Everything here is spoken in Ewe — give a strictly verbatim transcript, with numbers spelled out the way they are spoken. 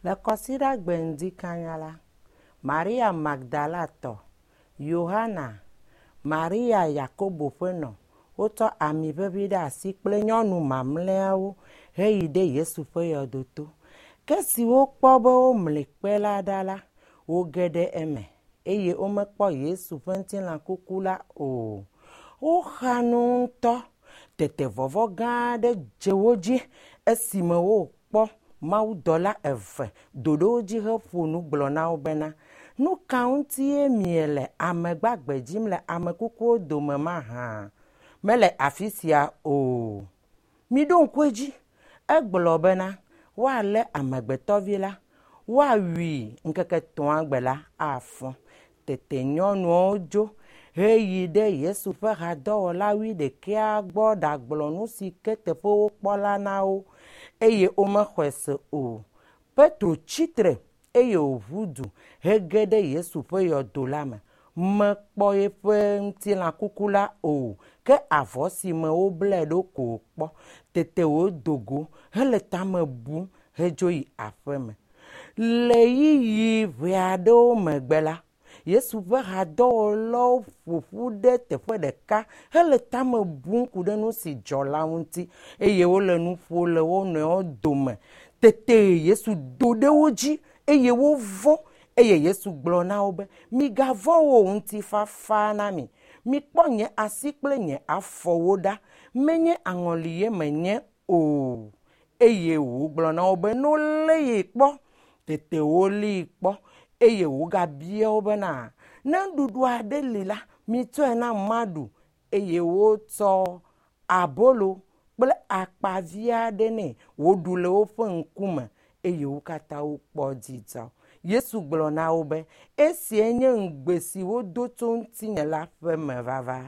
Le kɔsiɖagbe ŋdi kanya la, Maria Magdalatɔ, Yohana, Maria Yakobo ƒe nɔ wotsɔ ami ʋeʋĩ ɖe asi kple nyɔnu mamlɛawo heyi ɖe Yesu ƒe yɔdoto. Ke esi wokpɔ be womli kpe la ɖa la, woge ɖe eme eye womekpɔ Yesu ƒe ŋutilã kuku la o. Woxa nu ŋutɔ. Tete vɔvɔ̃ gã aɖe dze wo dzi esime wokpɔ mawudɔla eve do ɖe wo dzi heƒo nu gblɔ na wo bena, nu ka ŋutie miele ame gbagbe dzim le ame kukuwo dome mahã? Mele afi sia o. Miɖo ŋku edzi. Egblɔ bena woalé amegbetɔvi la, woawui ŋkeke etɔ̃a gbe la afɔ. Tete nyɔnuawo dzo heyi ɖe Yesu ƒe hadɔwɔla wuiɖekɛa gbɔ ɖagblɔ nu si ke teƒe wokpɔ la na wo eye womexɔe se o. Petro tsitre eye wòʋu du hege ɖe Yesu ƒe yɔdo la me. Mekpɔ eƒe ŋutilã kuku la o, ke avɔ si me woblae ɖo ko wòkpɔ. Tete wòdo go hele tame bum hedzo yi aƒeme. Le ɣeyiɣi ʋɛ aɖewo megbe la, Yesu ƒe hadɔwɔlawo ƒo ƒu ɖe teƒe ɖeka hele tame bum ku ɖe nu si dzɔ la ŋuti eye wole nu ƒom le wo nɔewo dome. Tete Yesu do ɖe wo dzi eye wovɔ̃ eye Yesu gblɔ na wo be, migavɔ̃ o, ŋutifafa na mi. Mikpɔ nye asi kple nye afɔwo ɖa. Menye aŋɔlie menye o. Eye wògblɔ na wo be, ne wolé ye kpɔ. Tete wolée kpɔ eye wògabia wo bena, ne nuɖuɖu aɖe li la, mitsɔe nam maɖu. Eye wotsɔ abolo kple akpavi aɖe nɛ wòɖu le woƒe ŋkume eye wo katã wokpɔ dzidzɔ. Yesu gblɔ na wo be, esia nye ŋugbe si wodo tso ŋutinye la ƒe mevava.